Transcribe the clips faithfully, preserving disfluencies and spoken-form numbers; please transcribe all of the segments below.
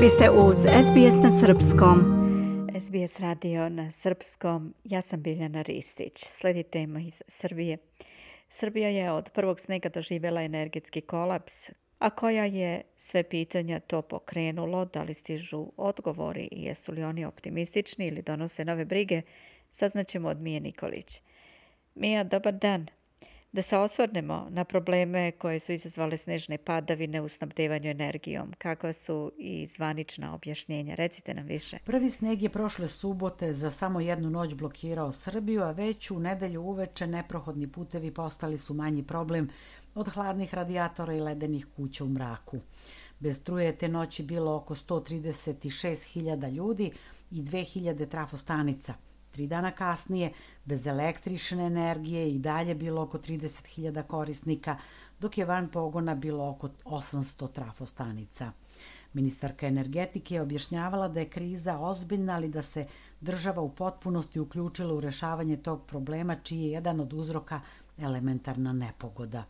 Vi ste uz S B S na srpskom. S B S radio na srpskom. Ja sam Biljana Ristić. Sledi tema iz Srbije. Srbija je od prvog snega doživjela energetski kolaps, a koja je sve pitanja to pokrenulo, da li stižu odgovori i jesu li oni optimistični ili donose nove brige, saznaćemo od Mije Nikolić. Mija, dobar dan. Da se osvrnemo na probleme koje su izazvale snežne padavine u snabdevanju energijom. Kakva su i zvanična objašnjenja? Recite nam više. Prvi sneg je prošle subote za samo jednu noć blokirao Srbiju, a već u nedelju uveče neprohodni putevi postali su manji problem od hladnih radijatora i ledenih kuća u mraku. Bez struje te noći bilo oko sto trideset šest hiljada ljudi i dve hiljade trafostanica. Tri dana kasnije, bez električne energije i dalje bilo oko trideset hiljada korisnika, dok je van pogona bilo oko osamsto trafostanica. Ministarka energetike je objašnjavala da je kriza ozbiljna, ali da se država u potpunosti uključila u rešavanje tog problema, čiji je jedan od uzroka elementarna nepogoda.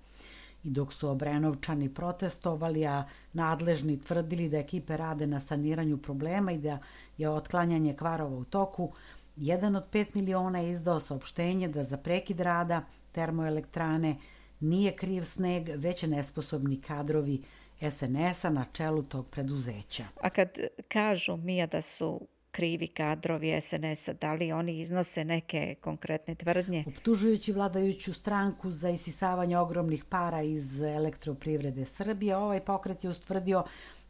I dok su Obrenovčani protestovali, a nadležni tvrdili da ekipe rade na saniranju problema i da je otklanjanje kvarova u toku, jedan od pet miliona je izdao saopštenje da za prekid rada termoelektrane nije kriv sneg, već nesposobni kadrovi S N S-a na čelu tog preduzeća. A kad kažu, Mija, da su krivi kadrovi S N S-a, da li oni iznose neke konkretne tvrdnje? Optužujući vladajuću stranku za isisavanje ogromnih para iz Elektroprivrede Srbije, ovaj pokret je ustvrdio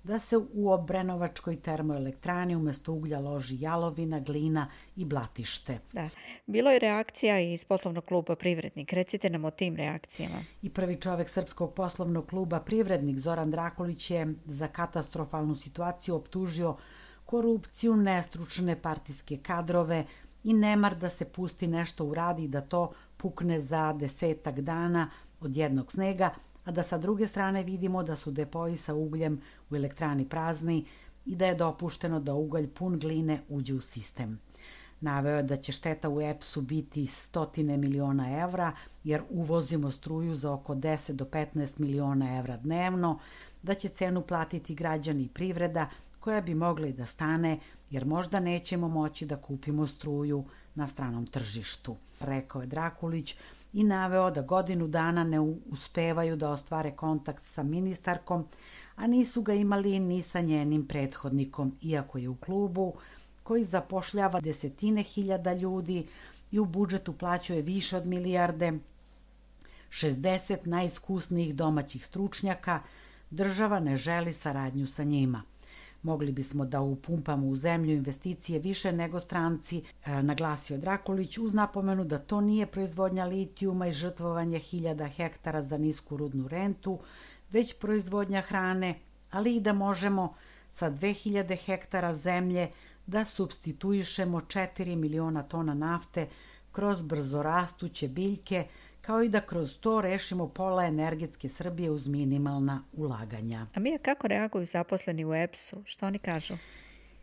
da se u Obrenovačkoj termoelektrani umjesto uglja loži jalovina, glina i blatište. Da. Bilo je reakcija iz poslovnog kluba Privrednik. Recite nam o tim reakcijama. I prvi čovek Srpskog poslovnog kluba Privrednik, Zoran Drakulić, je za katastrofalnu situaciju optužio korupciju, nestručne partijske kadrove i nemar da se pusti nešto uradi i da to pukne za desetak dana od jednog snega, a da sa druge strane vidimo da su depoji sa ugljem u elektrani prazni i da je dopušteno da ugalj pun gline uđe u sistem. Naveo je da će šteta u E P S-u biti stotine miliona evra, jer uvozimo struju za oko deset do petnaest miliona evra dnevno, da će cenu platiti građani i privreda, koja bi mogla i da stane, jer možda nećemo moći da kupimo struju na stranom tržištu, rekao je Drakulić, i naveo da godinu dana ne uspevaju da ostvare kontakt sa ministarkom, a nisu ga imali ni sa njenim prethodnikom, iako je u klubu koji zapošljava desetine hiljada ljudi i u budžetu plaćuje više od milijarde, šezdeset najiskusnijih domaćih stručnjaka, država ne želi saradnju sa njima. Mogli bismo da upumpamo u zemlju investicije više nego stranci, naglasio Drakulić, uz napomenu da to nije proizvodnja litijuma i žrtvovanje hiljada hektara za nisku rudnu rentu, već proizvodnja hrane, ali i da možemo sa dve hiljade hektara zemlje da supstituišemo četiri miliona tona nafte kroz brzorastuće biljke, kao i da kroz to rešimo pola energetske Srbije uz minimalna ulaganja. A Mija, kako reaguju zaposleni u E P S-u? Što oni kažu?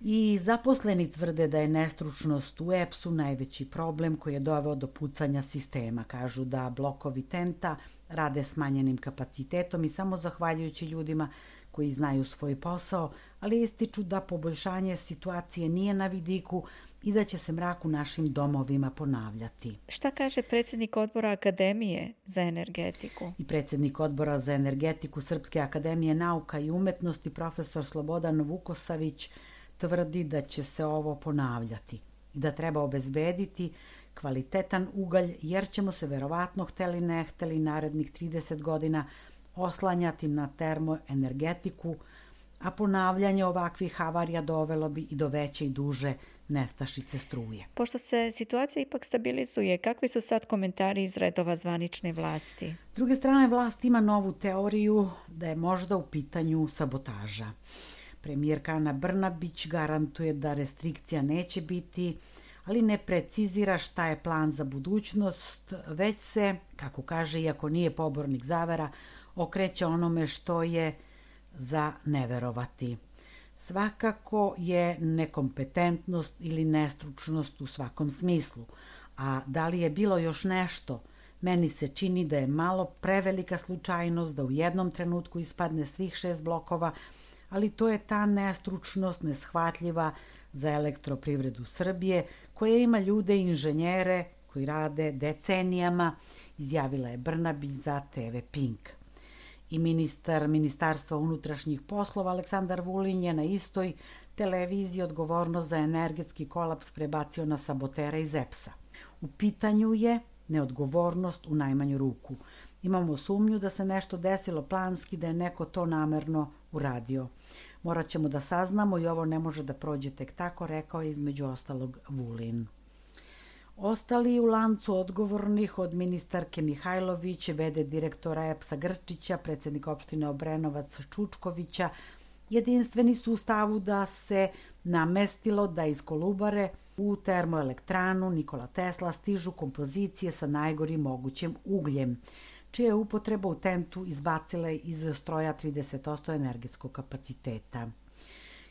I zaposleni tvrde da je nestručnost u E P S-u najveći problem koji je doveo do pucanja sistema. Kažu da blokovi TENT-a rade smanjenim kapacitetom i samo zahvaljujući ljudima koji znaju svoj posao, ali ističu da poboljšanje situacije nije na vidiku i da će se mrak u našim domovima ponavljati. Šta kaže predsjednik odbora Akademije za energetiku? I predsjednik odbora za energetiku Srpske akademije nauka i umetnosti, profesor Slobodan Vukosavić, tvrdi da će se ovo ponavljati i da treba obezbediti kvalitetan ugalj, jer ćemo se verovatno, hteli ne hteli, narednih trideset godina oslanjati na termoenergetiku, a ponavljanje ovakvih havarija dovelo bi i do veće i duže nestašice struje. Pošto se situacija ipak stabilizuje, kakvi su sad komentari iz redova zvanične vlasti? S druge strane, vlast ima novu teoriju da je možda u pitanju sabotaža. Premijerka Ana Brnabić garantuje da restrikcija neće biti, ali ne precizira šta je plan za budućnost, već se, kako kaže, iako nije pobornik zavera, okreće onome što je za neverovati. Svakako je nekompetentnost ili nestručnost u svakom smislu, a da li je bilo još nešto, meni se čini da je malo prevelika slučajnost da u jednom trenutku ispadne svih šest blokova, ali to je ta nestručnost neshvatljiva za elektroprivredu Srbije, koja ima ljude i inženjere koji rade decenijama, izjavila je Brnabić za te ve Pink. I ministar Ministarstva unutrašnjih poslova Aleksandar Vulin je na istoj televiziji odgovornost za energetski kolaps prebacio na sabotera iz E P S-a. U pitanju je neodgovornost u najmanju ruku. Imamo sumnju da se nešto desilo planski, da je neko to namerno uradio. Morat ćemo da saznamo i ovo ne može da prođe tek tako, rekao je između ostalog Vulin. Ostali u lancu odgovornih od ministarke Mihajlović, ve de direktora E P S-a Grčića, predsednika opštine Obrenovac Čučkovića, jedinstveni su u stavu da se namestilo da iz Kolubare u termoelektranu Nikola Tesla stižu kompozicije sa najgorim mogućim ugljem, čija je upotreba u tentu izbacila iz stroja trideset posto energetskog kapaciteta.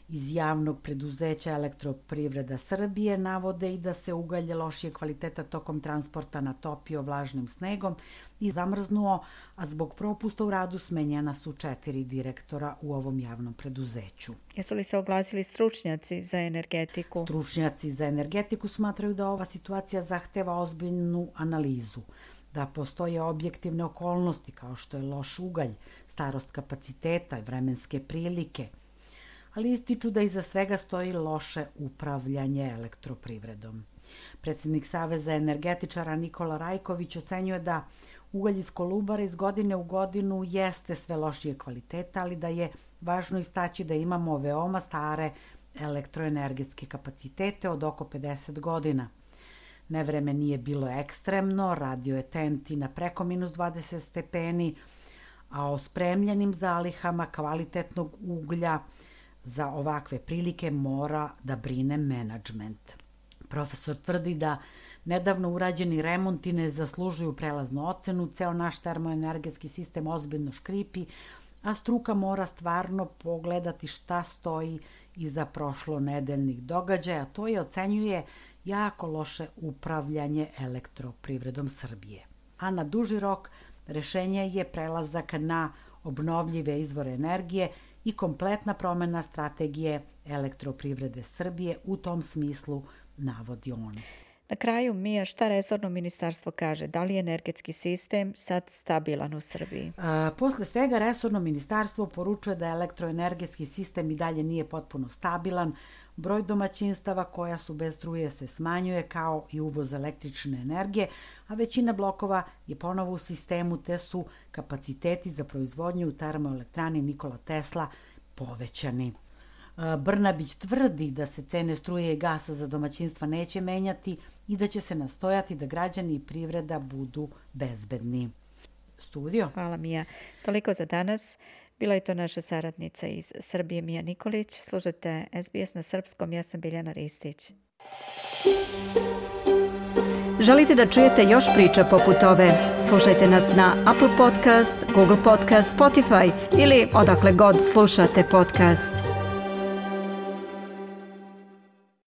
Iz javnog preduzeća Elektroprivreda Srbije navode i da se ugalj lošije kvaliteta tokom transporta natopio vlažnim snegom i zamrznuo, a zbog propusta u radu smenjena su četiri direktora u ovom javnom preduzeću. Jesu li se oglasili stručnjaci za energetiku? Stručnjaci za energetiku smatraju da ova situacija zahteva ozbiljnu analizu, da postoje objektivne okolnosti kao što je loš ugalj, starost kapaciteta i vremenske prilike, ali ističu da iza svega stoji loše upravljanje elektroprivredom. Predsednik Saveza energetičara Nikola Rajković ocenjuje da ugalj iz Kolubare iz godine u godinu jeste sve lošije kvaliteta, ali da je važno istaći da imamo veoma stare elektroenergetske kapacitete od oko pedeset godina. Nevreme nije bilo ekstremno, radio je tenti na preko minus dvadeset stepeni, a o spremljenim zalihama kvalitetnog uglja za ovakve prilike mora da brine menadžment. Profesor tvrdi da nedavno urađeni remonti ne zaslužuju prelaznu ocenu, ceo naš termoenergetski sistem ozbiljno škripi, a struka mora stvarno pogledati šta stoji iza prošlonedeljnih događaja. To je, ocenjuje, jako loše upravljanje elektroprivredom Srbije. A na duži rok rešenje je prelazak na obnovljive izvore energije i kompletna promena strategije elektroprivrede Srbije u tom smislu, navodi on. Na kraju, Mija, šta resorno ministarstvo kaže? Da li je energetski sistem sad stabilan u Srbiji? A, posle svega, resorno ministarstvo poručuje da elektroenergetski sistem i dalje nije potpuno stabilan. Broj domaćinstava koja su bez struje se smanjuje, kao i uvoz električne energije, a većina blokova je ponovo u sistemu, te su kapaciteti za proizvodnju u termoelektrani Nikola Tesla povećani. Brnabić tvrdi da se cene struje i gasa za domaćinstva neće menjati i da će se nastojati da građani i privreda budu bezbedni. Studio. Hvala, Mija. Toliko za danas. Bila je to naša saradnica iz Srbije, Mija Nikolić. Slušajte es be es na srpskom, ja sam Biljana Ristić. Želite da čujete još priča poput ove? Slušajte nas na Apple Podcast, Google Podcast, Spotify ili odakle god slušate podcast.